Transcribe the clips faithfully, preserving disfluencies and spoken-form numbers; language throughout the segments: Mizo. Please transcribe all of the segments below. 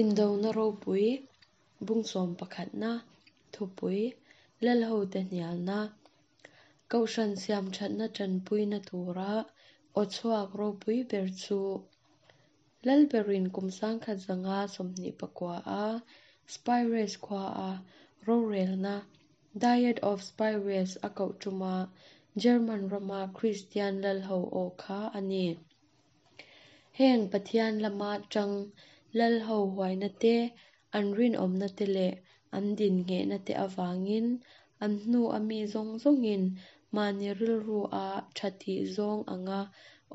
Indona ropui, bung sawm pakhatna, thupui, lalhote hnialna, Kohhran siam thatna tanpuina tura aw chhuak ropui ber chu Lalberin kum sangkhat zanga sawmhnih pakua a Spires khua a rorelna Diet of Spires a koh tuma German rama Kristian lalho aw kha a ni. Heng Pathian lama tang lalho huaina te, an rinawmna te leh an din nghehna te awangin an hnu a mi zawng zawngin mahni rilru a tha tih zawng anga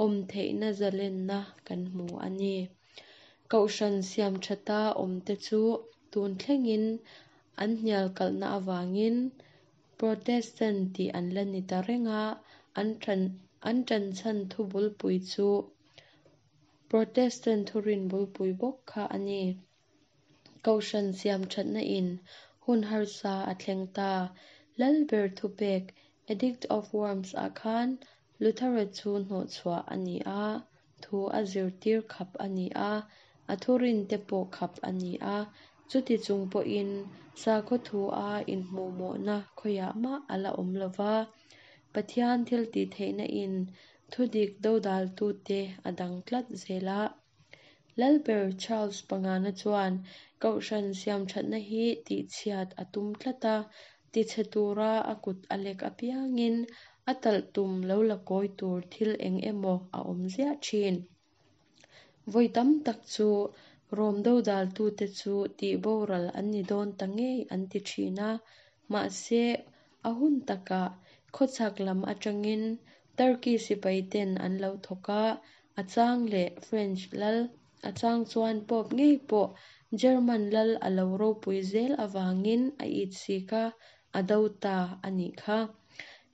awm theihna zalenna kan hmu a ni. Kohhran siam thata awm te chu tun thlengin an hnial kalhna awangin Protestant tih an la ni ta renga an than an tan chan thu bulpui chu Protestant thurin bulpui bawk kha a ni. Kohhran siam thatna in hun harsa a thleng ta Lalber thupek Edict of Worms ah khan Luthera chu hnawh chhuah a ni a, thu a zirtir khap a ni a, a thurin te pawh khap a ni a, chuti chung pawhin sakhaw thu a inhmuhmawhna khawiah mah a la awm lova. Pathian thil tih theihna in thudik dodal tu te a dang tlat zel a. Lalber Charles pangana chuan Kohhran siam thatna hi tih chhiat a tum tlat a, ti chhe tura a kut a lek apiangin a talh tum lo la kawi tur thil eng emaw a awm ziah thin. Vawi tam tak chu Rom dodal tu te chu tih boral an ni dawn ta ngei an ti thin a, mahse a hun takah khawchhak lam atangin Turkey sipai ten an lo thawk a, a chang leh French lal, a chang chuan Pope ngei pawh German lal a lo ropui zel awangin a it sik a, a do ta a nih kha.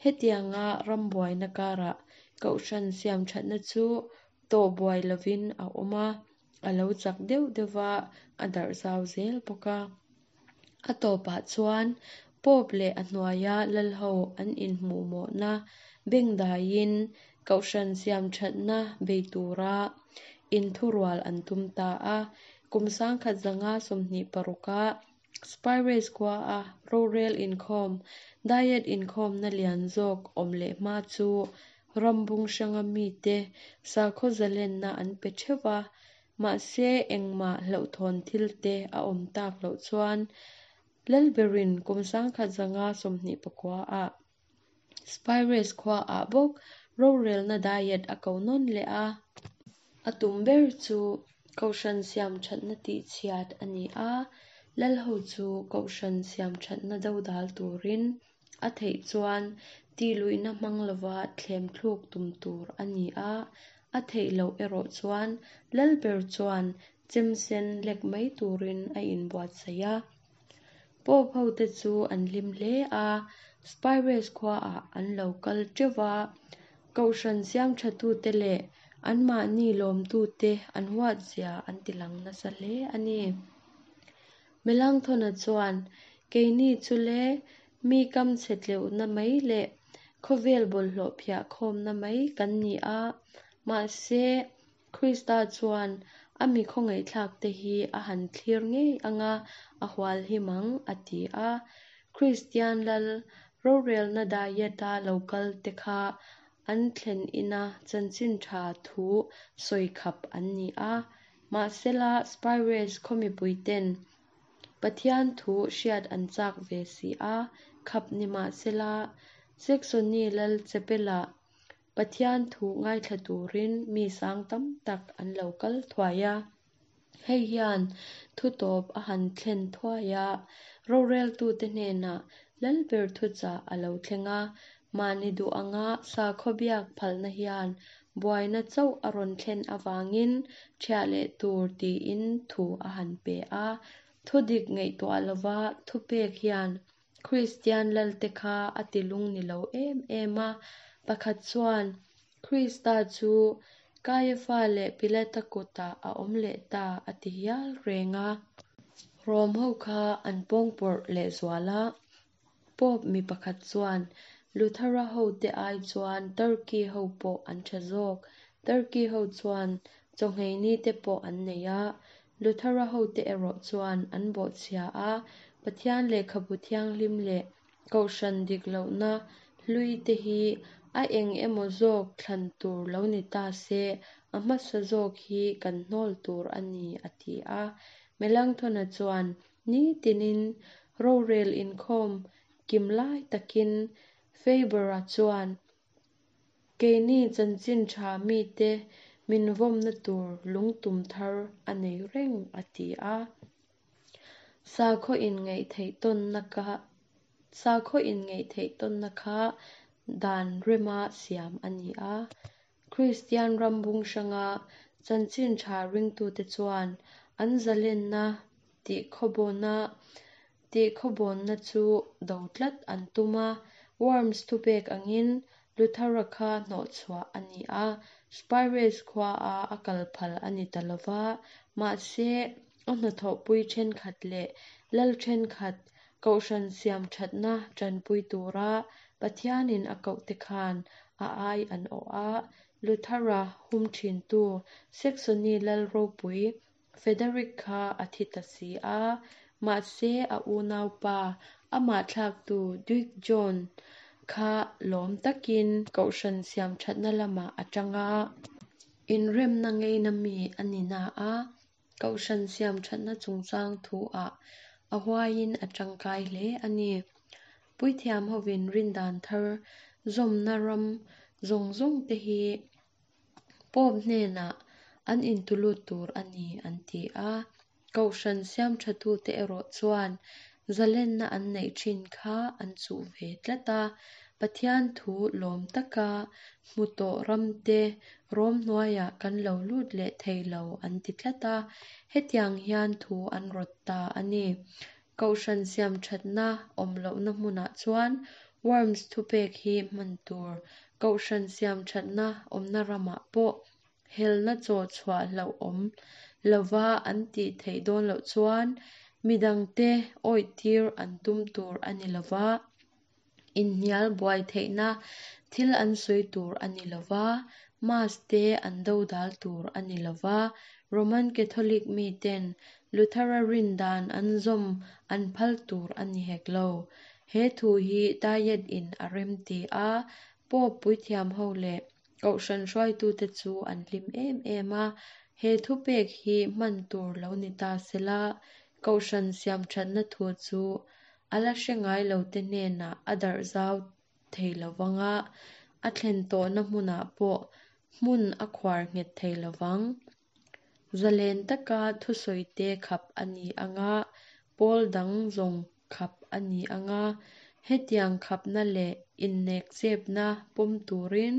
Hetianga rambuaina karah Kohhran siam thatna chu tawh buai lovin a awm a, a lo chak deuh deuhva a darh zau zel bawk a. A tawpah chuan Pope leh a hnuaia lalho an inhmuhmawhna bengdaiin Kohhran siam thatna bei tura inthurual an tum ta a. Kum sangkhat zanga sawmhnih paruka Spires khua a rorel inkhawm, Diet inkhawmna lian zawk awm leh hma chu rambung hranga mi te sakhaw zalenna an pe theuh a, mahse engmah hlauhthawn thil te a awm tak loh chuan Lalberin kum sangkhat zanga sawmhnih pakua a Spires khua ah bawk rorelna diet a ko nawn leh a. A tum ber chu Kohhran siam thatna tih chhiat a ni a, lalho chu Kohhran siam thatna dodal turin a theih chuan ti luihna hmang lova thlem thluk tum tur a ni a, a theih loh erawh chuan Lalber chuan chemsen lek mai turin a inbuatsaih a. Pope ho te chu an hlim hle a, Spires khua ah an lo kal teuh a, Kohhran siam thatu te leh an mahni lawmtu te an huat zia an ti lang nasa hle a ni. Melanchthona chuan keini chu le mi kam chhe tleuhna mai leh khawvel bawlhhlawh phiah khawmna mai kan ni a, mahse Krista chuan a mi khawngaihthlak te hi a han thlir ngei anga a hual hi mang a ti a. Kristian lal rorelna diet a lo kal te kha an thlen ina chanchin tha thu sawi khap an ni a, mahsela Spires khawmipui ten Pathian thu hriat an chak ve si a, khap ni mahsela Saxony lal chapela Pathian thu ngaithla turin mi sang tam tak an lo kal thuai a. Hei hian thu tawp a han thlen thuai a, rorel tu te hnenah Lalber thu chah a lo thleng a, mahni duh anga sakhaw biak phalna hian buaina chauh a rawn thlen awangin thiah leh tur tiin thu a han pe a. Thudik ngaihtuah lova thupek hian Kristian lal te kha a ti lung ni lo em em a, pakhat chuan Krista chu Kaiafa leh Pilata kutah a awm leh ta a ti hial reng a. Rom ho kha an pawngpawrh leh zual a, Pope mi pakhat chuan Luthera ho te ai chuan Turkey ho pawh an tha zawk. Turkey ho chuan chawngheini te pawh an nei a, Luther-a hote erawh chuan an bawhchhia a, Pathian Lehkhabu Thianghlim leh Kohhran dik lohna hluite hi a eng emaw zawk thlan tur lo ni ta se, a hmasa zawk hi kan hnawl tur a ni, a ti a. Melanchthon-a chuan ni tinin rorel inkhawm kim lai takin Faber-a chuan keini chanchin tha mite min vawmna tur lungtum thar a nei reng, a ti a. Sakhaw inngaihtheih tawnna kha Sakhaw inngaihtheih tawnna kha dan rema siam a ni a. Kristian ram bung hranga chanchin tha ringtute chuan an zalenna tihkhawbawna tihkhawbawnna chu do tlat an tum a. Worms thupek angin Luther-a kha hnawhchhuah a ni a, Spires khuaa a kal phal a ni ta lo va, mahse a hnathawhpui thenkhat leh lal thenkhat Kohhran siam thatna tanpui tura Pathianin a kohte khan a ai an awh a. Luther-a hum thintu Saxony lal ropui Frederick kha a thi ta si a, mahse a unaupa amah thlaktu Duke John kha lawm takin Kohhran siam thatna lamah a tang a. Inremna ngeina mi a ni na a, Kohhran siam thatna chungchang thu-ah a huaiin a tangkai hle a ni. Puithiam hovin rindan thar zawmna ram zawng zawng te hi Pope hnenah an intulut tur a ni, an ti a. Kohhran siam thatute erawh chuan zalenna an neih thin kha an chuh ve tlat a. Pathian thu lawm taka hmu tawh ramte Rom hnuaiah kan lo lut leh thei lo, an ti tlat a. Hetiang hian thu an rawt ta a ni. Kohhran siam thatna awm lohna hmunah chuan Worms thupek hi hman tur. Kohhran siam thatna awmna ramah pawh helna chaw chhuah hlauhawm lova an tih theih dawn loh chuan midangte awihtir an tum tur a ni lo va, inhnial buai theihna thil an sawi tur a ni lo va, Mass te an dodal tur a ni lo va, Roman Catholic miten Luther-a rindan an zawm an phal tur a ni hek lo. He thu hi Diet in a rem ti a, Pope puithiam ho leh Kohhran hruaitute chu an hlim em em a. He thupek hi hman tur lo ni ta sela, Kohhran siam thatna thu chu a la hre ngai lote hnenah a darh zau thei lovang a, a thlen tawhna hmunah pawh hmun a khuar nghet thei lovang. Zalen taka thusawite khap a ni ang a, pawl dang zawng khap a ni ang a. Hetiang khapna leh innekchepna pawm turin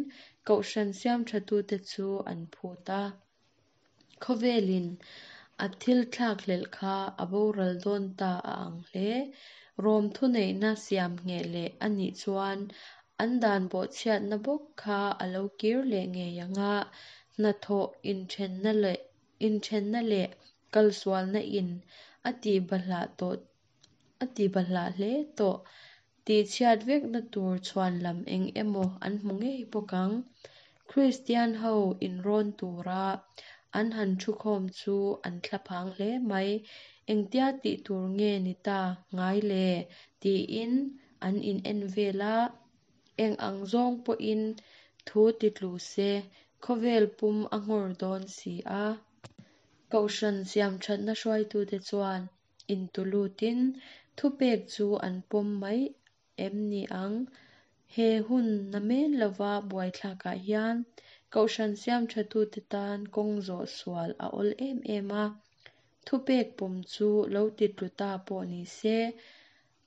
Kohhran siam thatute chu an phut a. Khawvelin a thil thlakhlelh kha a boral dawn ta a ang hle. Rom thuneihna siam ngheh leh a nih chuan an dan bawhchhiatna bawk kha a lo kir leh ngei ang a, hnathawh inthenna leh inthenna leh kalsualna in a tihbahlah tawh a tihbahlah hle tawh. Tihchhiat vekna tur chhuanlam eng emaw an hmu ngei bawk ang. Kristian ho inrawn tura an han thukhawm chu an thlaphang hle mai. Engtia tih tur nge ni ta ngai le, tiin an in en vel a. Eng ang zawng pawhin thu titlu se, khawvel pum a nghawr dawn si a. Kohhran siam thatna hruaitute chuan intulutin thupek chu an pawm mai em ni ang. He hun namen lova buaithlakah hian Kohhran siam thatute tan kawng zawh sual a awl em em a. Thupek pawm chu lo titlu ta pawh ni se,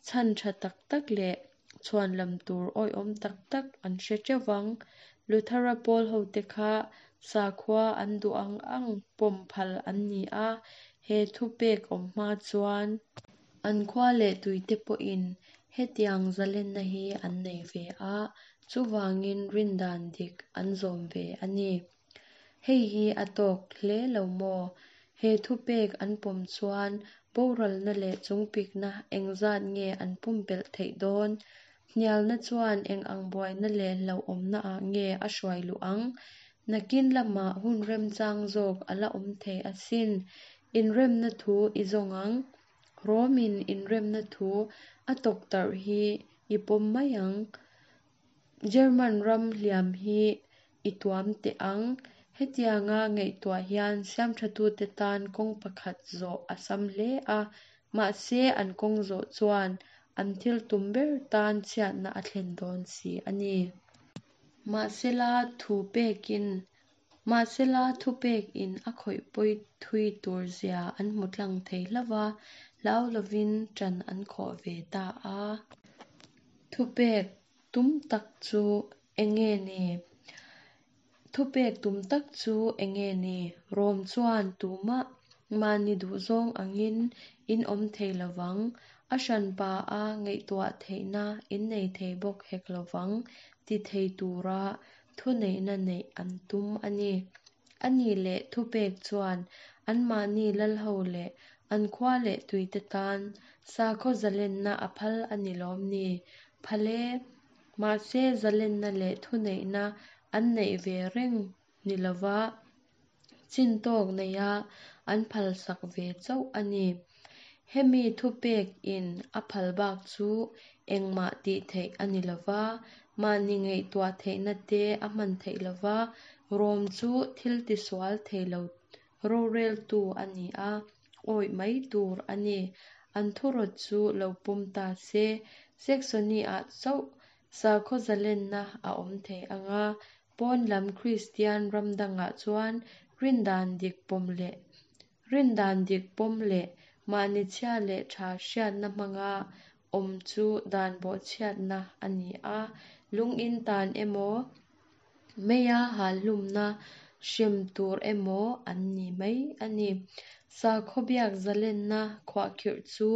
chhan tha tak tak leh chhuanlam tur awihawm tak tak an hre teuh ang. Luther-a pawl hote kha sakhua an duh ang ang pawm phal an ni a, he thupek awm hma chuan an khua leh tuite pawhin hetiang zalenna hi an nei ve a, chuvangin rindan dik an zawm ve a ni. Hei hi a tawk hle lo maw? He thupek an pawm chuan boralna leh chungpikna engzat nge an pumpelh theih dawn? Hnialna chuan eng ang buaina leh hlauhawmna-ah nge a hruai luh ang? Nakin lamah hun remchang zawk a la awm thei asin. Inremna thu i zawng ang? Rom-in inremna thu a tawktarh hi i pawm mai ang? German ram hliam hi i tuam teh ang. Hetianga ngaihtuah hian siamthatute tan kawng pakhat zawh a sam hle a, mahse an kawng zawh chuan an thil tum ber tan chhiatna a thlen dawn si a ni. Mahsela thu pekin Mahsela thupekin a khawih pawi thui tur zia an hmu tlang thei hlauh a, hlau lovin ṭan an khawh ve ta a. Thupek tum tak chu enge ni? Thupek tum tak chu enge ni? Rom chuan tumah mahni duhzawng angin in awm thei lovang, a hranpa a ngaihtuah theihna in nei thei bawk hek lovang ti thei tura thuneihna neih an tum a ni. A nih leh thupek chuan anmahni lalho leh an khua leh tuite tan sakhaw zalenna a phal a ni lawm ni? Phal e! Mahse zalenna leh thuneihna an neih ve reng ni lova chintawk neia an phalsak ve chauh a ni. Hemi thupek in a phal bak chu engmah tih theih a ni lova, mahni ngaihtuah theihna te a hman theih lova, Rom chu thil tisual thei lo roreltu a ni a, awih mai tur a ni. An thurawt chu lo pawm ta se, Saxony-ah chauh sakhaw zalenna a awm thei ang a, pawn lam Kristian ram dangah chuan rindan dik pawm leh rindan dik pawm leh mahni chhia leh tha hriatna hmanga awm chu dan bawhchhiatna a ni a, lungin tan emaw, meia halhlumna hrem tur emaw an ni mai a ni. Sakhaw biak zalenna khuahkhirh chu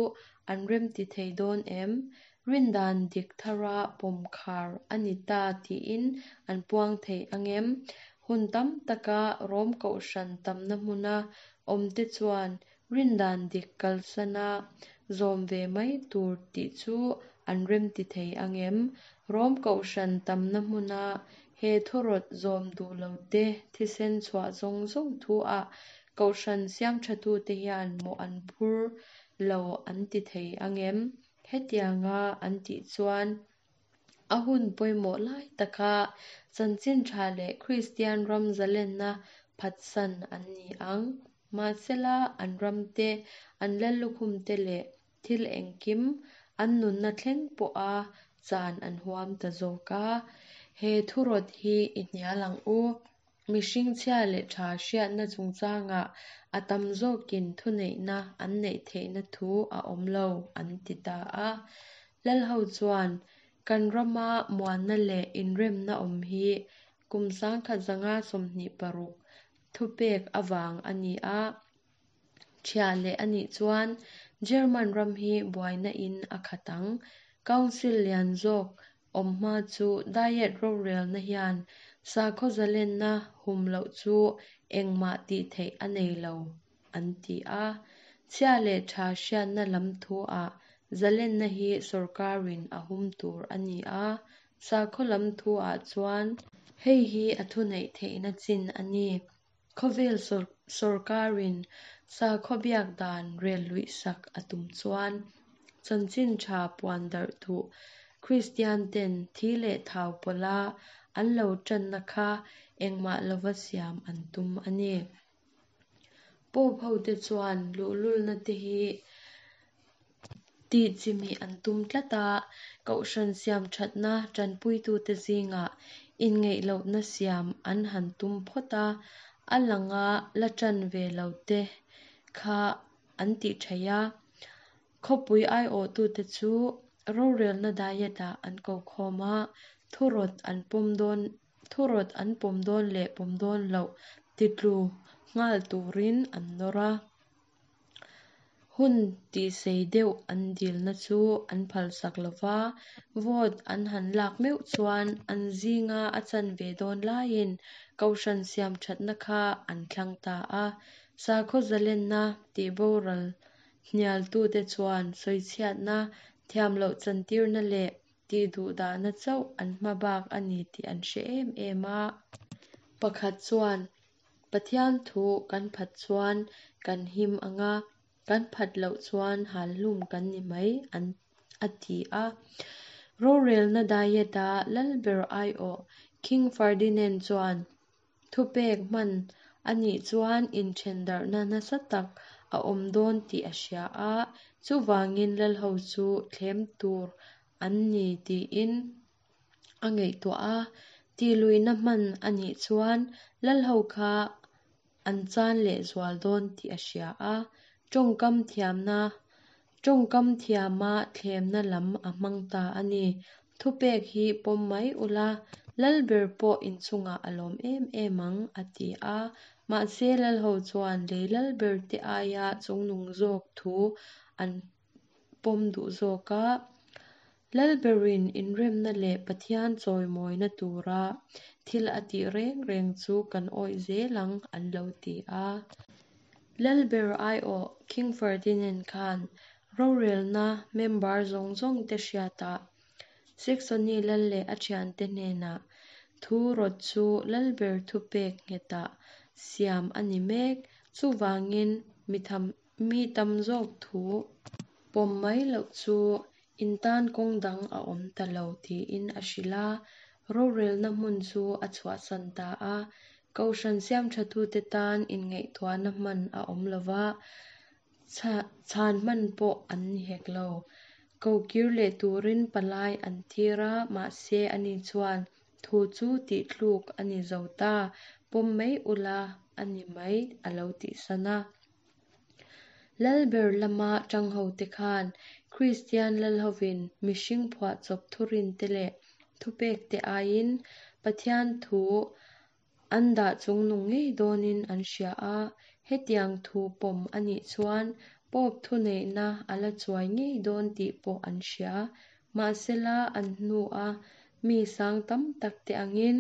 an remti thei dawn em? Rindan dik thara pawm khar a ni ta tiin an puang thei ang em? Hun tam taka Rom kohhran tamna hmuna awmte chuan rindan dik kalsana zawm ve mai tur tih chu an remti thei ang em? Rom kohhran tamna hmuna he thurawt zawm duh lote thisen chhuah zawng zawng thu-ah kohhran siamthatute hian mawh an phur lo an ti thei ang em? Hetianga an tih chuan a hun pawimawh lai taka chanchin tha leh Kristian ram zalenna phatsan an ni ang. Mahsela an ramte, an lallukhumte leh thil engkim an nunna thleng pawha chan an huam ta zawk a. He thurawt hi i hnial ang u. Mihring chhia leh tha hriatna chungchangah a tam zawkin thuneihna an neih theihna thu a awm lo an ti ta a. Lalho chuan kan rama muanna leh inremna awm hi kum sangkhat zanga sawmhnih paruk thupek avang a ni a. Ṭhia leh a nih chuan German ram hi buaina in a khat ang. Council lian zawk awm hma chu Diet rorelna hian sakhaw zalenna hum loh chu engmah tih theih a nei lo an ti a. Chhia leh tha hriatna lam thu-ah zalenna hi sorkarin a hum tur a ni a. Sakhaw lam thu-ah chuan hei hi a thuneih theihna chin a ni. Khawvel sorkarin sakhaw biak dan rel luihsak a tum chuan chanchin tha puan darh duh Kristian ten thi leh thau pawlha an lo ṭanna kha engmah lova siam an tum a ni. Pope hote chuan luhlulna te hi tih chimih an tum tlat a, kohhran siam ṭhatna ṭanpuitute zingah inngeih lohna siam an han tum phawt a, a langa la ṭan ve lote kha an tih ṭhaih a. Khawpui aiawhtute chu rorelna Diet-ah an ko khawm a, thurawt an pawm dawn thurawt an pawm dawn leh pawm dawn loh titlu nghal turin an nawr a. Hun tihsei deuh an dilna chu an phalsak lova, vote an han lak meuh chuan an zinga a chan ve dawn laiin kohhran siam ṭhatna kha an thlang ta a. Sakhaw zalenna tihboral hnialtute chuan sawichhiatna, thiam loh chantirna leh tihduhdahna chauh an hmabak a ni tih an hre em em a. Pakhat chuan Pathian thu kan phat chuan kan him ang a, kan phat loh chuan hal hlum kan ni mai, an a ti a. Rorelna Diet-a lalber aiawh King Ferdinand chuan thupek hman a nih chuan inthendarhna nasa tak a awm dawn tih a hria a, chuvangin lalho chu thlem tur an ni tiin a ngaihtuah a. Tihluihna hman a nih chuan lalho kha an chan leh zual dawn tih a hria a. Tawngkam thiamna Tawngkam thiama thlemna lam a hmang ta a ni. Thupek hi pawm mai ula, lalber pawh inchungah a lawm em em ang, a ti a. Mahse lalho chuan lei lalber te aia chungnung zawk thu an pawm duh zawk a. Lalberin inremna leh Pathian chawimawina tura thil a tih reng reng chu kan awih zel ang, an lo ti a. Lalber aiawh King Ferdinand khan rorelna member zawng zawng te hriatah Saxony lal leh a thiante hnenah thu rawt chu lalber thupek nghetah siam a ni mek. Chuvangin mi tham mi tam zawk thu pawm mai loh chu in tan kawng dang a awm ta lo tiin a hrilh a. Rorelna hmun chu a chhuahsan ta a. Kohhran siamthatute tan inngaihtuahna hman a awm lova, chhan hman pawh an ni hek lo. Kokir leh turin palai an tir a, mahse ani chuan thu chu tihthluk a ni zo ta, pawm mai ula a ni mai a lo tihsan a. Lalber lama tangho te khan Kristian lalhovin mihring phuahchawp thurin te leh thupek te aiin Pathian thu an dah chungnung ngei dawnin an hria a. Hetiang thu pawm a nih chuan Pope thuneihna a la chuai ngei dawn tih pawh an hria. Mahsela an hnu a mi sang tam tak te angin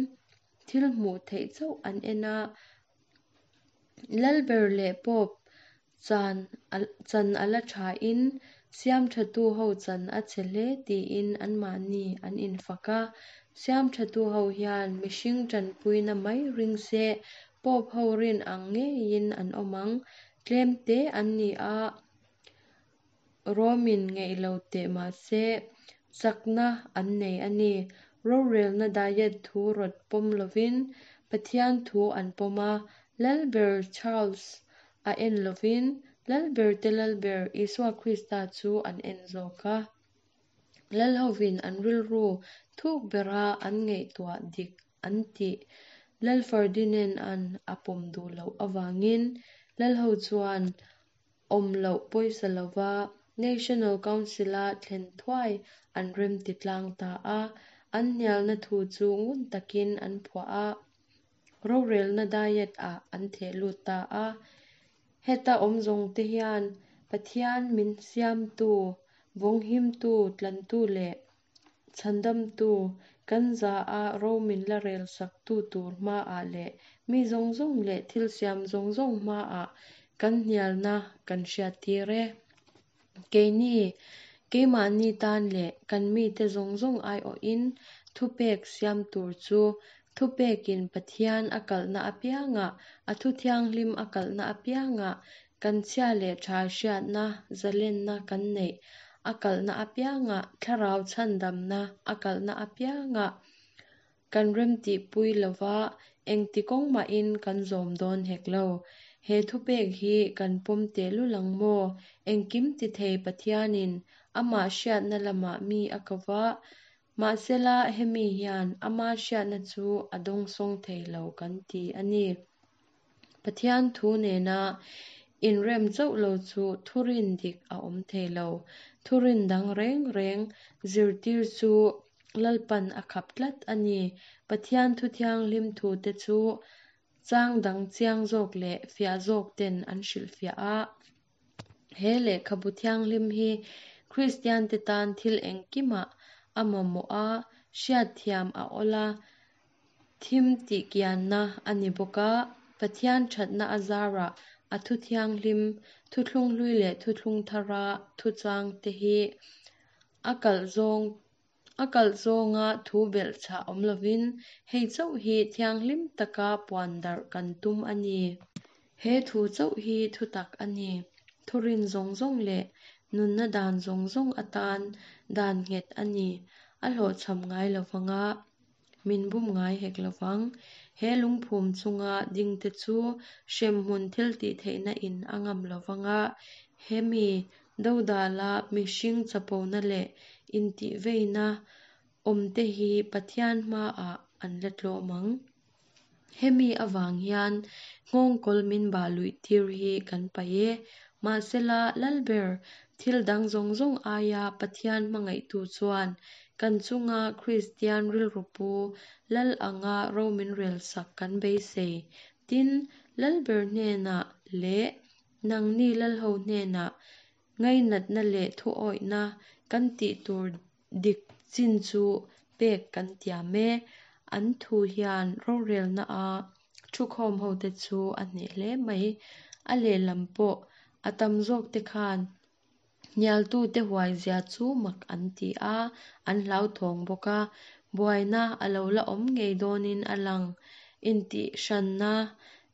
thil hmuh theih chauh an en a. Lalber leh Pope chan chan a la thain siamthatu ho chan a che hle tiin anmahni an infak a. Siamthatu ho hian mihring tanpuina mai ring se Pope ho rin ang ngeiin an awm ang. Tlem te an ni a, Romin ngeih lo teh mahse chakna an nei a ni. Rorelna Diet thu rawt pawm lovin Pathian thu an pawm a. Lalber Charles a en lovin lalber te lalber Isua Krista chu an en zawk a. Lalhovin an rilru thuk bera an ngaihtuah dik an tih Lal Ferdinand an a pawm duh loh awangin lalho chuan awm loh pawisa lova National Council-a thlen thuai an rem ti tlang ta a. An hnialna thu chu ngun takin an phuah a. Rorelna Diet ah an theh lut ta a. Heta awm zawng te hian Pathian min siamtu, vawnghimtu, tlantu leh chhandamtu kan za a ro min la rel saktu tur hmaah leh mi zawng zawng leh thil siam zawng zawng hmaah kan hnialna kan hriat tir e. Keini, keimahni tan leh kan mite zawng zawng aiawhin thupek siam tur chu thupekin Pathian a kalhna apiangah, a thu thianghlim a kalhna apiangah, kan chhia leh tha hriatna zalenna kan neih a kalhna apiangah, thlarau chhandamna a kalhna apiangah kan rem tihpui lova engti kawng mahin kan zawm dawn hek lo. He thupek hi kan pawm tehlul ang maw? Engkim ti thei Pathianin amah hriatna lamah mi a kova, mahsela hemi hian ama hriatna chu a dawngsawng thei lo kan ti a ni. Pathian thu nena inrem chauh lo chu thurin dik a awm thei lo. Thurin dang reng reng zirtir chu lalpan a khap tlat a ni. Pathian thu thianghlim thu te chu chang dang chiang zawk leh fiah zawk ten an hrilhfiah a. He lehkhabu thianghlim hi Kristian te tan thil engkimah a mamawh a, hriat thiam a awl a, thim tih kianna a ni bawk a. Pathian thatna a zarah a thu thianghlim, thuthlung hlui leh thuthlung thara thu chang te hi a kalh zawng a kalh zawnga thu belhchhah awm lovin hei chauh hi thianghlim taka puan darh kan tum a ni. He thu chauh hi thutak a ni. Thurin zawng zawng leh nunna dan zawng zawng atan dan nghet a ni. A hlawhchham ngai lovang a, min bum ngai hek lovang. He lungphum chunga dingte chu hremhmun thiltihtheihna in a ngam lovang a, hemi dodala mihring chapona leh intihveina awmte hi Pathian hmaah an la tlawm ang. Hemi avang hian nghawngkawl min bah luih tir hi kan paih e. Mahsela Lalber, thil dang zawng zawng aia Pathian hmangaihtu chuan kan chunga Kristian rilru pu Lal anga ro min relsak kan beisei. Tin, Lalber hnenah leh nangni Lalho hnenah ngainatna leh thuawihna kan tih tur dik chin chu pek kan tiam e. An thu hian rorelna a thukhawm hote chu a hneh hle mai. A lehlam pawh a tam zawk te khan hnialtute huaizia chu mak an ti a, an hlauthawng bawk a. Buaina a lo la awm ngei dawnin a lang. Intihhranna,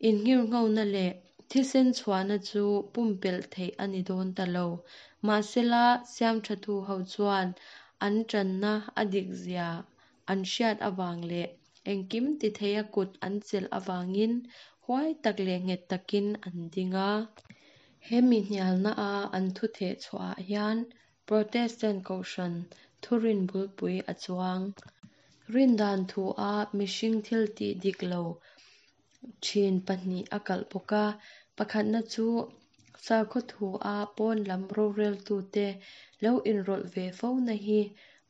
innghirnghona leh thisen chhuahna chu pumpelh theih a ni dawn ta lo. Mahsela siamthatu ho chuan an tanna a dikzia an hriat avang leh engkim titheia kut an chelh avangin huai tak leh nghet takin an ding a. Hemi hnialna a an thu theh chhuahah hian Protestant Kohhran thurin bulpui a chuang. Rindan thu a mihring thil tih dik lo thin pahnih a kalh bawk a. Pakhatna chu sakhaw thu a pawn lam roreltute lo inrawlh ve fo na hi.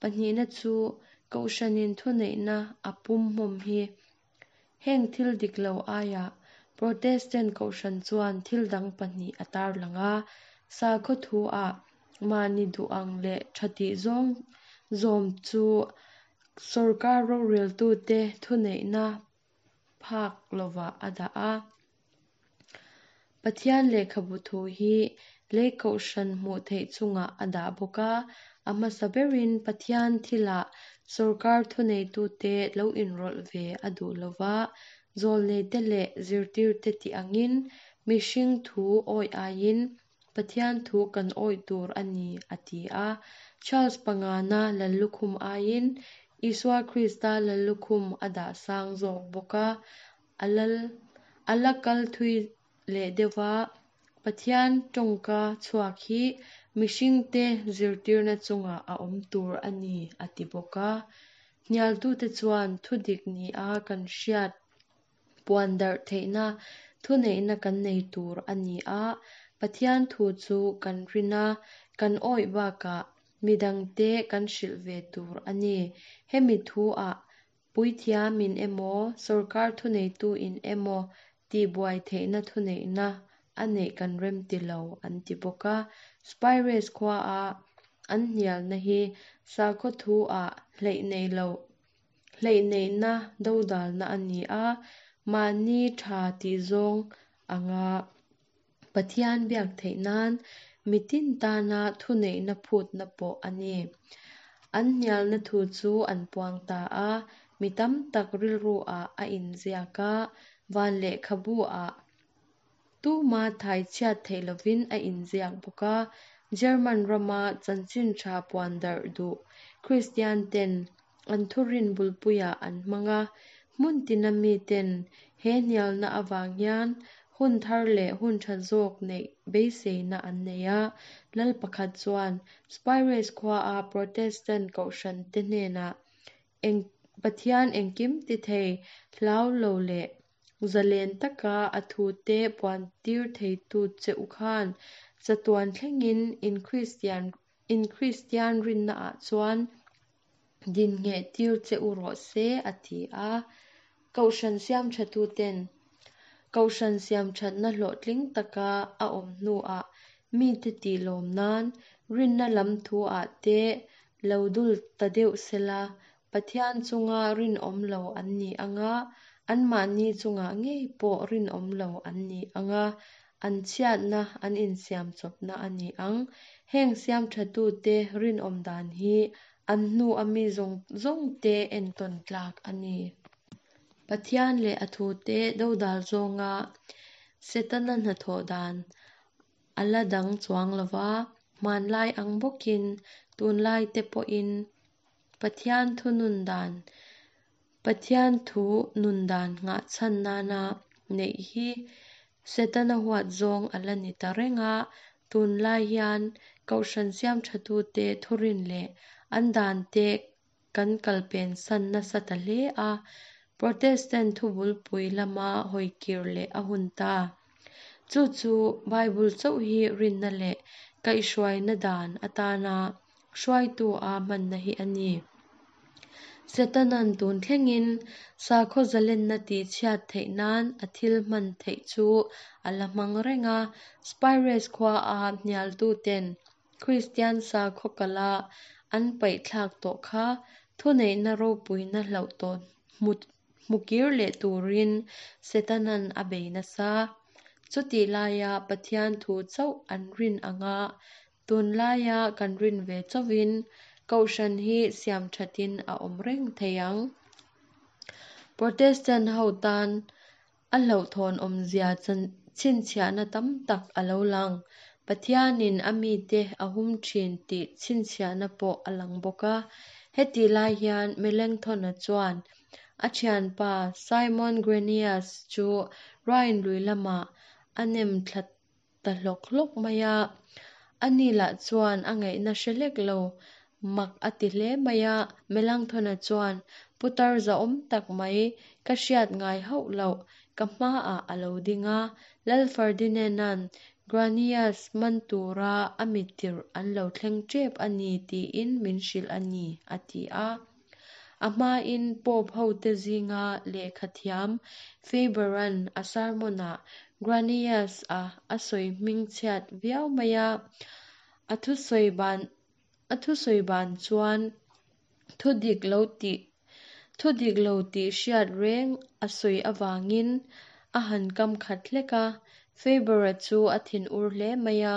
Pahnihna chu Kohhranin thuneihna a pum hmawm hi. Heng thil dik lo aia Protestant Kohhran chuan thil dang pahnih a tarlang a. Sakhaw thu a mahni duh ang leh tha tih zawng zawm chu sorkar roreltute thuneihna phak lovah a dah a. Pathian lehkhabu thu hi lei Kohhran hmuh theih chungah a dah bawk a. A hmasa berin Pathian thilah sorkar thuneitute lo inrawlh ve a duh lova, zawlneite leh zirtirte tih angin mihring thu awih aiin Pathian thu kan awih tur a ni a ti a. Charles pangana Lallukhum aiin Isua Krista Lallukhum a dah sang zawk bawk a. A lal a la kal thui leh deuha Pathian tawngka chhuak hi mihringte zirtirna chungah a awm tur a ni a ti bawk a. Hnialtute chuan thudik ni a kan hriat puan darh theihna thuneihna kan nei tur a ni a. Pathian thu chu kan rina kan awih bakah midangte kan hrilh ve tur a ni. Hemi thu ah puithiamin emaw sorkar thuneitu in emaw tihbuai theihna thuneihna a neih kan rem ti lo an ti bawk a. Spires khua a an hnialna hi sakhaw thu ah hleih nei lo hleih neihna dodalna a ni a. Mahni tha tih zawng anga Pathian biak theih nan mitin tana thuneihna phutna pawh a ni. An hnialna thu chu an puang ta a, mi tam tak rilru ah a inziak a, van lehkhabu ah tuma thai chhiat theih lovin a inziak bawk a. German rama chanchin tha puan darh duh Christian ten an thurin bulpuiah an hmang a. Hmun tina mi ten he hnialna avang hian hun thar leh hun tha zawk neih beiseina an nei a. Lal pakhat chuan Spires khua a Protestant Kohhran te hnenah eng Pathian engkim ti thei hlau lo leh zalen taka a thu te puan tir thei tu che u khan chatuan thlengin in Christian in Christian rinna ah chuan din nge tir che u rawh se a ti a. Kohhran siam thatu ten Kohhran siam thatna hlawhtling taka a awm hnuah mi te tih lawm nan rinna lam thu ah te lo dul ta deuh sela Pathian chunga rinawm lo an ni anga an mahni chungah ngei pawh rinawm lo an ni anga an chhiatna an insiam chawpna a ni ang. Heng siam thatu te rinawm dan hi an hnu a mi zawng zawng te entawn tlak a ni. Pathian leh a thu te dodal zawnga Setana hnathawh dan a la dang chuang lova, hmanlai ang bawkin tunlai te pawhin Pathian thu nun dan Pathian thu nun dan nghahchhan nana neih hi Setana huat zawng a la ni ta reng a, tunlai hian Kohhran siam thatute thurin leh an dan te kan kalpen san nasa ta hle a, Protestant thubulpui lama hawikir leh a hun ta. Chu chu Bible chauh hi rinna leh kaihhruaina dan atana hruaitu a hmanna hi a ni. Setanan tun thlengin sakhaw zalenna tihchhiat theih nan a thil hman theih chu a la hmang reng a, Spires khua a hnialtuten Kristian sakhaw kala an paihthlak tawh kha thuneihna ropuina hlauh tawh hmukir leh turin Setanan a bei nasa. Chutih laia Pathian thu chauh an rin anga tunlaia kan rin ve chauhin Kohhran hi siam thatin a awm reng thei ang. Protestant ho tan a hlauhthawn awmzia chhinchhiahna tam tak a lo lang. Pathianin a mite a hum thin tih chhinchhiahna pawh a lang bawk a. Heti lai hian Melanchthon-a chuan a thianpa Simon Granius chu Rhine lui lamah a nem thla ta hlawk hlawk mai a. Ani lah chuan a ngaihna hre hlek lo mak a ti hle mai a. Melanchthon-a chuan putar zahawm tak mai ka hriat ngai hauh loh ka hmaah a lo ding a. Lal Ferdinand-a'n Granius man tura a mitir an lo thleng tep a ni tiin min hrilh a ni, a ti a. A hmain Pope ho te zinga lehkha thiam Faber-a'n a sermon-ah Granius a a sawi hming chhiat viau mai a. A thusawi ban a thusawi ban chuan thudik lo tih thudik lo tih hriat reng a sawi awangin a han kam khat hlek a. Faber-a chu a thin ur hle mai a,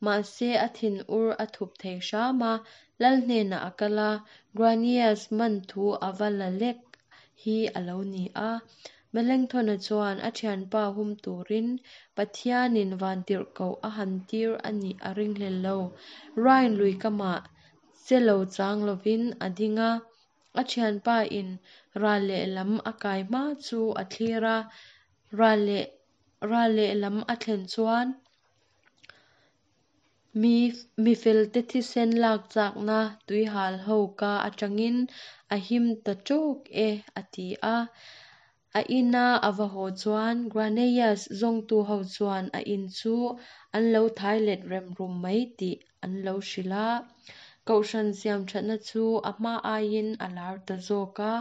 mahse a thin ur a thup thei hram a, lal hnenah a kal a, Granius man thu a va la lek hi a lo ni a. Melanchthon-a chuan a thianpa hum turin Pathianin van tirhkoh a han tir a nih a ring hlel lo. Rhine lui kamah che lo chang lovin a ding a, a thianpa in ral lehlam a kai hma chu a thlir a, ral leh ral lehlam a thlen chuan mi mi felte thisen lak chakna tuihal ho ka atangin a him ta tawk e a ti a. A ina a va haw chuan Granius zawngtu ho chuan a in chu an lo thai let rem rum mai tih an lo hrilh a. Kohhran siam thatna chu a hma aiin a lar ta zawk a.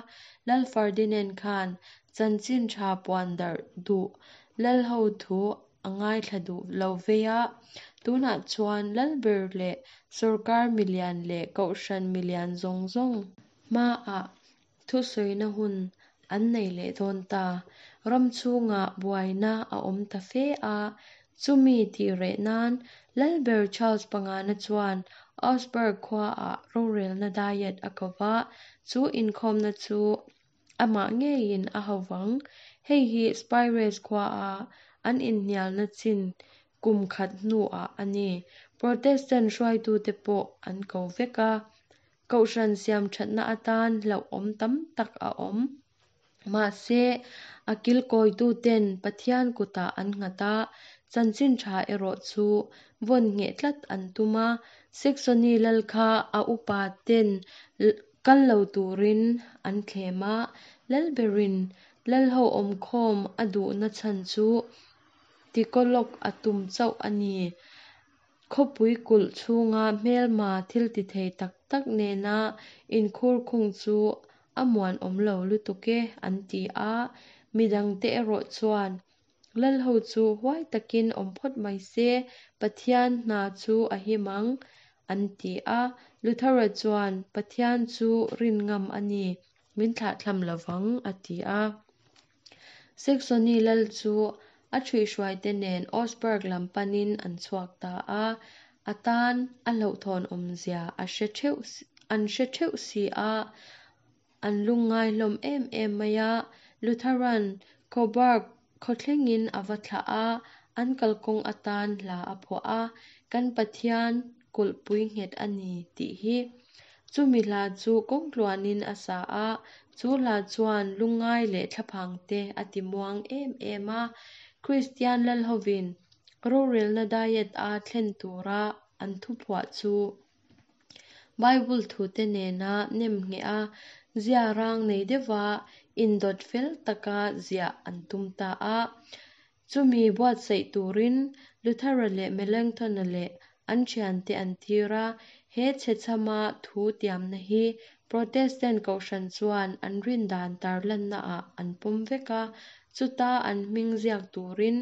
Lal Ferdinand khan chanchin tha puan darh duh lal ho thu a ngaithla duh lo vei a. Tunah chuan lalber leh sorkar milian leh Kohhran milian zawng zawng hmaah thusawina hun an nei leh dawn ta. Ram chhungah buaina a awm ta fe a, chumi tih reh nan Lalber Charles pangana chuan Augsburg khuaah rorelna diet a ko va, chu inkhawmna chu amah ngeiin a ho vang. Hei hi Spires khuaa an inhnialna chin kum khat hnuah a ni. Protestant hruaitute pawh an ko vek a. Kohhran siam thatna atan hlauh awm tam tak a awm. Mahse a kilkawituten Pathian kutah an nghat a, chanchin tha erawh chu vawn ngheh tlat an tum a. Saxony lal kha a upa ten kal lo turin an thlem a, lalberin lal ho awm khawm a duhna chhan chu tikolok a tum chauh a ni. Khawpui kulh chhunga hmelma thil ti thei tak tak nena inkhur khung chu a muan awm lo lutuk e an ti a. Midangte erawh chuan lal ho chu huai takin awm phawt mai se, Pathian hna chu a him ang an ti a. Luthera chuan Pathian chu rin ngam a ni, min thlahthlam lovang a ti a. Saxony lal chu a thuihhruaite nen Augsburg lam panin an chhuak ta a. A tan a hlauhthawn awmzia a hre theuh an hre theuh si a, an lungngai hlawm em em mai a. Lutheran Coburg khaw thlengin a va thlah a, an kalkawng atan hla a phuah a, Kan Pathian kulhpui nghet a ni tih hi. Chumi hla chu kawngtluanin a sa a, chu hla chuan lungngai leh thlaphangte a timuang em em a. Kristian lalhovin rorelna diet-a thlen tura an thuphuah chu Bible thute nena nemngheh a, ziarang nei deuha indawt fel taka ziah an tum ta a. Chumi buatsaih turin Luthera leh Melanchthon-a leh an thiante an tir a. He chhechhama thu tiamna hi Protestant kohhran chuan an rindan tarlannaah an pawm vek a, chuta an hming ziak turin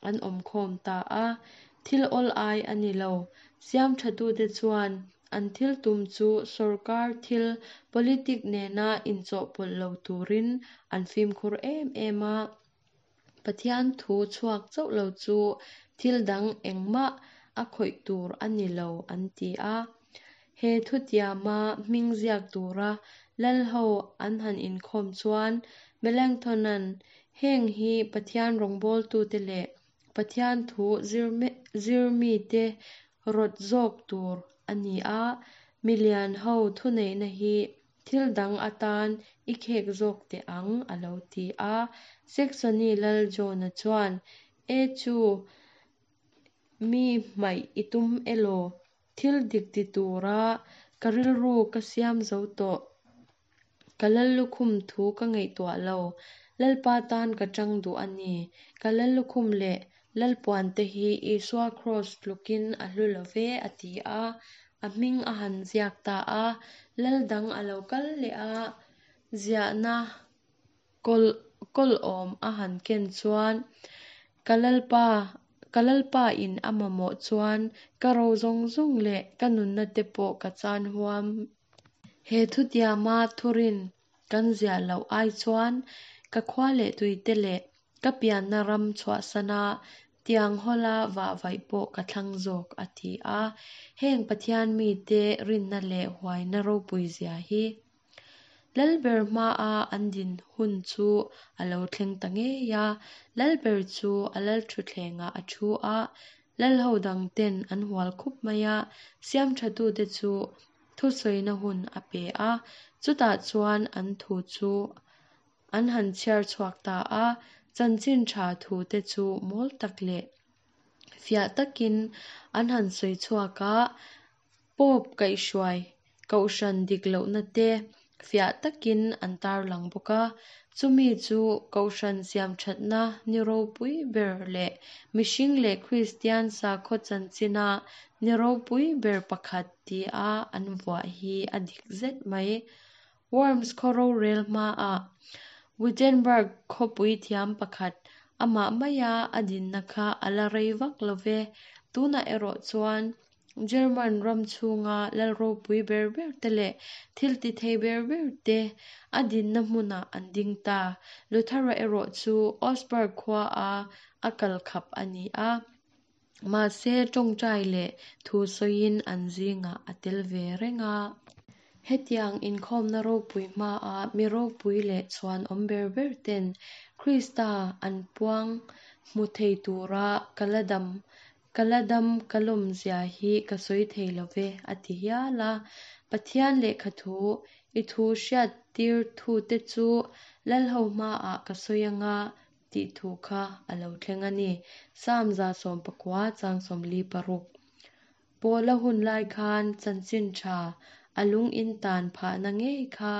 an awm khawm ta a. Thil awl ai a ni lo. Siamthatute chuan an thil tum chu sorkar thil, politic nena inchawhpawlh lo turin an fimkhur em em a. Pathian thu chhuak chauh lo chu thil dang engmah a khawih tur a ni lo an ti a. He thutiama hming ziak tura lalho an han inkhawm chuan Melanchthon-a'n heng hi Pathian rawngbawltute leh Pathian thu zir mite rawt zawk tur a ni a, milian ho thuneihna hi thil dang atan i khek zawk teh ang a lo ti a. Saxony lal John-a chuan, E chu, mi hmaih i tum elaw? Thil dik ti tura ka rilru ka siam zo tawh. Ka lallukhum thu ka ngaihtuah lo. Lalpa tan ka tang duh a ni. Ka lallukhum leh lalpuante hi Isua Kraws tlukin a hlu lo ve, a ti a. A hming a han ziak ta a. Lal dang a lo kal leh a, ziahna kawl kawl awm a han ken chuan, Ka lalpa, ka lalpa in a mamawh chuan ka ro zawng zawng leh ka nunna te pawh ka chan huam. He thutiama thurin kan ziah loh ai chuan ka khua leh tuite leh ka pianna ram chhuahsana tiang hawla vahvaih pawh ka thlang zawk, a ti a. Heng Pathian mite rinna leh huaina ropui zia hi Lalber hmaa an din hun chu a lo thleng ta ngei a. Lalber chu a lalthutthlengah a thu a, lalho dangten an hual khup mai a. Siamthatute chu thusawina hun a pe a, chutah chuan an thu chu an han chhiar chhuak ta a. Chanchin tha thute chu mawl tak leh fiah takin an han sawi chhuak a, Pope kaihhruai kohhran dik lohna te fiah takin an tarlang bawk a. Chumi chu kohhran siamthatna ni ropui ber leh mihring leh Kristian sakhaw chanchina ni ropui ber pakhat tia an vuah hi a dik zet mai. Worms khaw rorel hmaah Wittenberg khawpui thiam pakhat amah maia a dinna kha a la rei vak lo ve. Tunah erawh chuan German ram chhunga lal ropui ber ber te leh thil ti thei ber ber te a dinna hmunah an ding ta. Luthera erawh chu Augsburg khua a a kal khap a ni a. Mahse tawngtai leh thu sawiin an zingah a tel ve reng a. Hetiang inkhawmna ropui hmaa mi ropui leh chhuan awm ber ber ten Krista an puang hmu thei tura ka la dam ka la dam ka lawm zia hi ka sawi thei lo ve, a ti hial a. Pathian lehkha thu i thu hriat tir thute chu lalho hmaah ka sawi anga tih thu kha a lo thleng a ni. Psalm za sawm pakua chang sawmli paruk. Pawla hun lai khan chanchin tha a lung in tan phahna ngei kha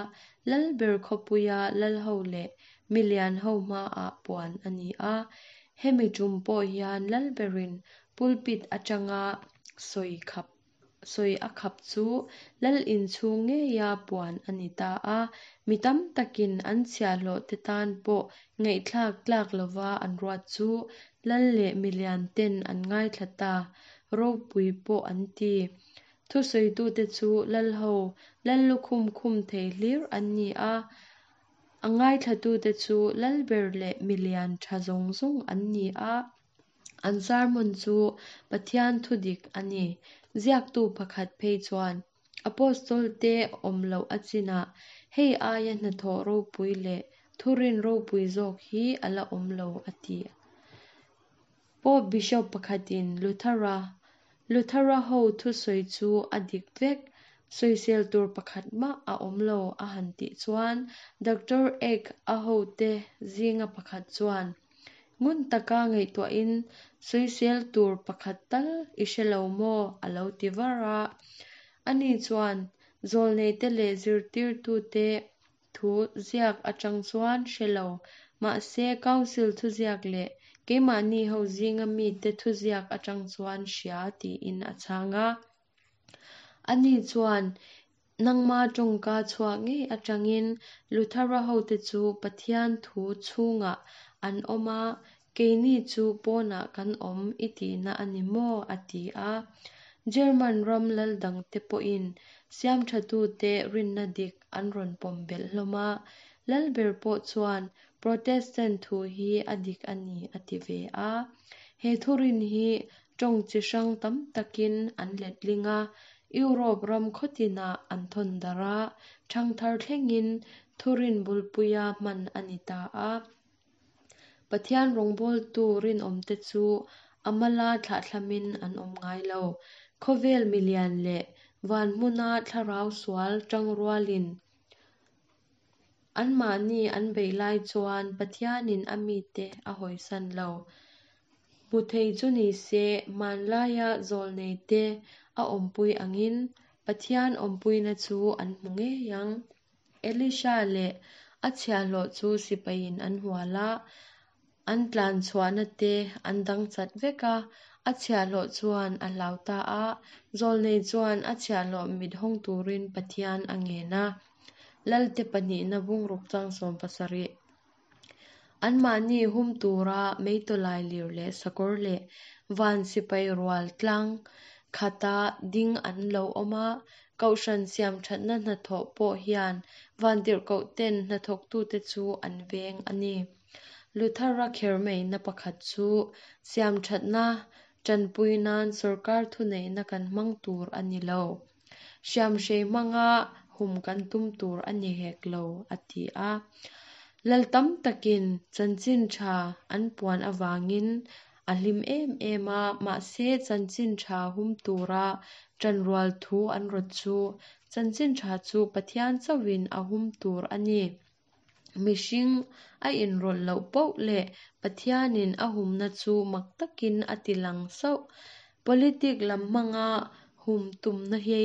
lalber khawpuia lalho leh milian ho hmaah puan a ni a. Hemi tum pawh hian lalberin pulpit atanga sawi khap sawi a khap chu lal inchhung ngeia puan a ni ta a. Mi tam takin an chhiahhlawh te tan pawh ngaihthlak tlak lova an ruat chu lal leh milian ten an ngaithla ta ropui pawh an ti. Thusawitute chu lalho lallukhum khum thei hlir an ni a. A ngaithlatute chu lalber leh milian tha zawng zawng an ni a. An sermon chu Pathian thu dik a ni. Ziaktu pakhat phei chuan Apostol te awm loh a chinah hei aia hnathawh ropui leh Thurin ropui zawk hi a la awm lo, a ti. Pope Bishop pakhatin Luthera Luthera ho thusawi chu a dik vek, sawisel tur pakhat mah a awm lo a han tih chuan Doctor Eck a hote zinga pakhat chuan, Ngun taka ngaihtuahin sawisel tur pakhat tal i hre lo maw? a lo ti var a. Ani chuan zawlneite leh zirtirtute thu ziak atang chuan hre lo, mahse Council thuziak leh keimahni ho zinga mite thuziak atang chuan hria tiin a chhang a. Ani chuan nangma tawngka chhuak ngei atangin Luthera hote chu Pathian thu chhungah an awm a, keini chu pawnah kan awm i tihna a ni maw? a ti a. German ram lal dangte pawhin siamthatute rinna dik an rawn pawm belh hlawm a. Lalber pawh chuan Protestant thu hi a dik a ni a ti ve a. He thurin hi tawng chi hrang tam takin an letling a, Europe ram khawtinah an thawn darh a, thangthar thlengin thurin bulpuia hman a ni ta a. Pathian rawngbawltu rinawmte chu a mala thlahthlamin an awm ngai lo. Khawvel milian leh van hmuna thlarau sual tangrualin anmahni an beih lai chuan Pathianin a mite a hawisan lo. Hmu thei chu ni se hmanlaia zawlneite a awmpui angin Pathian awmpuina chu an hmu ngei ang. Elisha leh a chhiahhlawh chu sipaiin an hual a, an tlan chhuahna te an dang chat vek a, a chhiahhlawh chuan a hlau ta a, zawlnei chuan a chhiahhlawh mit hawng turin Pathian a ngen a. Lalte pahnihna bungruk chang sawm pasarih. Anmahni hum tura meitawlai lir leh sakawr leh van sipai rual tlang khata ding an lo awm a, kohhran siam thatna hnathawh pawh hian vantirhkohten hnathawktute chu an veng a ni. Luthera khermeina pakhat chu siam thatna tanpui nan sorkar thuneihna kan hmang tur a ni lo. Hriamhrei hmanga hum kan tum tur a ni hek lo, a ti a. Lal tam takin chanchin tha an puan awangin a hlim em em a, mahse chanchin tha hum tura tanrual thu an rawt chu chanchin tha chu Pathian chauhin a hum tur a ni. Mihring a inrawlh loh poh leh Pathianin a humna chu mak takin a ti lang sauh. Politic lam hmanga hum tumna hi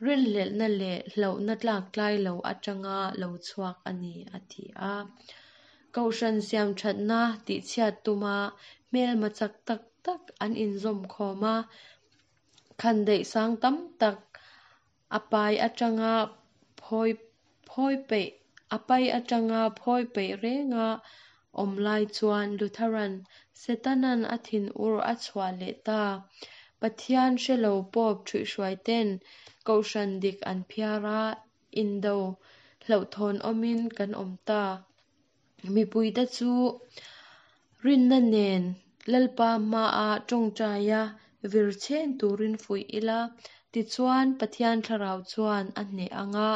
rinhlelhna leh hlauhna tlak tlai lo atanga lo chhuak a ni, a ti a. Kohhran siam thatna tihchhiat tuma hmelma chak tak tak an inzawm khawm a, khandaih sang tam tak a pai atanga phawi phawi peih a pai atanga phawi peih renga awm lai chuan Lutheran Setanan a thin ur a chhuah leh ta. Pathian hrelo Pope thuihhruai ten kohhran dik an phiar a, indo hlauhthawn awmin kan awm ta. Mipuite chu rinna nen Lalpa hmaa tawngtaia vir chen turin fuih ila, tichuan Pathian thlarau chuan a hneh anga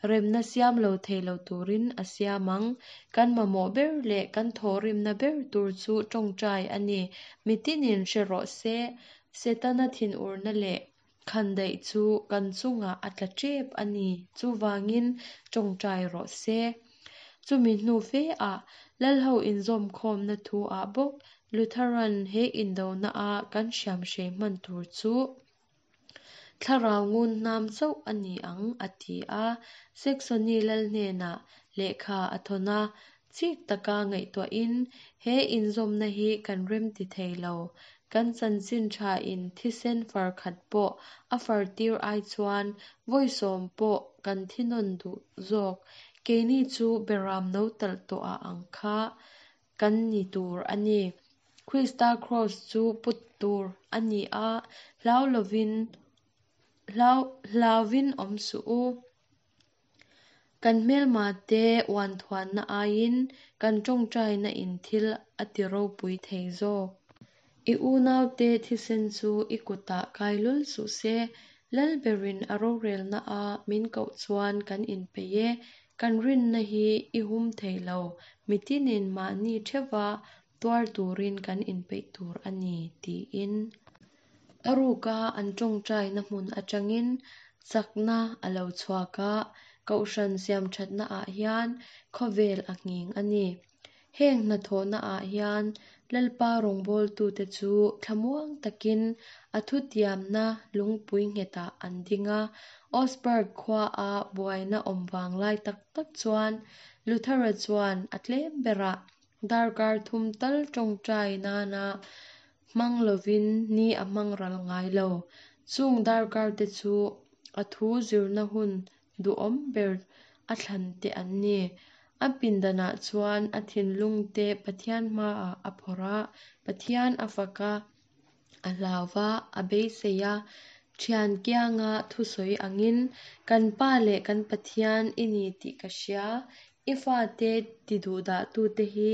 remna siam lo thei lo turin a siam ang. Kan mamawh ber leh kan thawhrimna ber tur chu tawngtai a ni. Mitinin hre rawh se, Setana thin urna leh khandaih chu kan chungah a tla tep a ni. Chuvangin tawngtai rawh se. Chumi hnu fe a lalho inzawm khawmna thu ah bawk Lutheran he indona a kan hriamhrei hman tur chu thlarau ngun hnam chauh a ni ang a ti a. Saxony lal hnenah lehkha a thawn a, chik taka ngaihtuahin he inzawmna hi kan rem ti thei lo. Kan chanchin tha in thisen far khat pawh a far tir ai chuan vawi sawm pawh kan thi nawn duh zawk. Keini chu beram no talh tawh a ang kha kan ni tur a ni. Krista cross chu put tur a ni a, hlau lovin hlau hlauvin awm suh u. Kan hmelma te uan thuanna aiin kan tawngtaina in thil a ti ropui thei zawk. I unaute thisen chu i kutah kai lul suh se, Lalberin a rorelna a min koh chuan kan inpeih e. Kan rinna hi i hum thei lo, mitinin mahni theuha tuar turin kan inpeih tur a ni, tiin. A ruka an tawngtaina hmun atangin chakna a lo chhuak a, kohhran siamthatnaah hian khawvel a nghing a ni. Heng hnathawhnaah hian Lalpa rawngbawltute chu thlamuang takin a thutiamna lungpui nghetah an ding a. Augsburg khuaa buaina awm vang lai tak tak chuan Luthera chuan a tlem berah darkar thum tal tawngtai nana hmang lovin ni a hmang ral ngai lo. Chung darkarte chu a thu zirna hun duhawm ber a thlan te an ni. A pindanah chuan a thinlungte Pathian hmaah a phawrh a, Pathian a fak a, a hlau va, a beisei a, thian kianga thusawi angin, Kan Pa leh kan Pathian i ni tih ka hria, i fate tiduhdahtute hi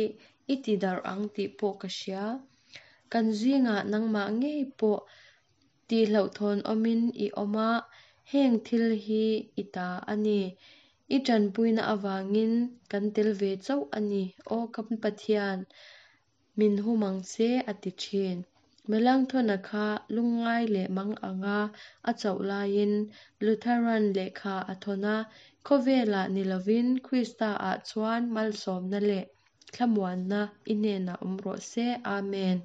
i tidarh ang tih pawh ka hria. Kan zingah nangmah ngei pawh tihhlauhthawn awmin i awm a, heng thil hi i ta a ni. I tanpuina avangin kan tel ve chauh a ni, aw kan Pathian, min hum ang che, a ti thin. Melanchthon-a kha lungngai leh mang anga a chauh laiin Lutheran lehkha a thawn a, khawvelah ni lovin Krista-ah chuan malsawmna leh thlamuanna i hnenah awm rawh se. Amen.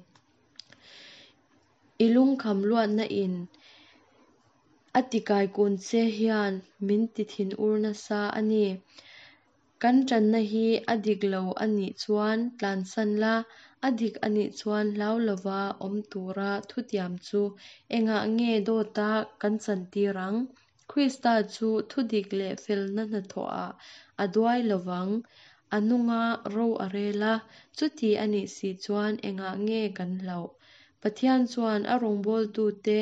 I lungkham luatna in a tikaikun che hian min ti thinur nasa a ni. Kan tanna hi a dik lo a nih chuan tlansan la, a dik a nih chuan hlau lova awm tura thutiam chu engah nge dawta kan chantir ang? Krista chu thudik leh felna hnathawhah a duai lovang, a nunga ro a rel a, chuti a nih si chuan engah nge kan hlauh? Pathian chuan a rawngbawltute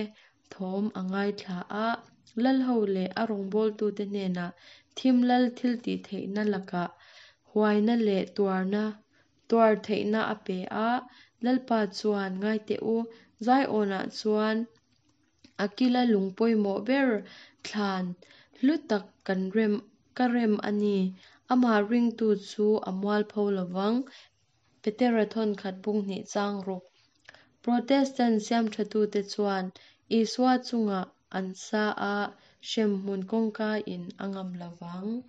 thawm a ngaithla a, lalho leh a rawngbawltute hnenah thim lal thiltihtheihna lakah huaina leh tuarna tuar theihna a pe a. Lalpa chuan ngai teh u, Zion-ah chuan a kila lung pawimawh ber thlan hlu tak kan rem ka rem a ni. Amah ringtu chu a mualpho lovang. Petera thawnkhat bung hnih chang ruk. Protestant siamthatute chuan Isua chungah an sa a, hremhmun kawngka in a ngam lovang.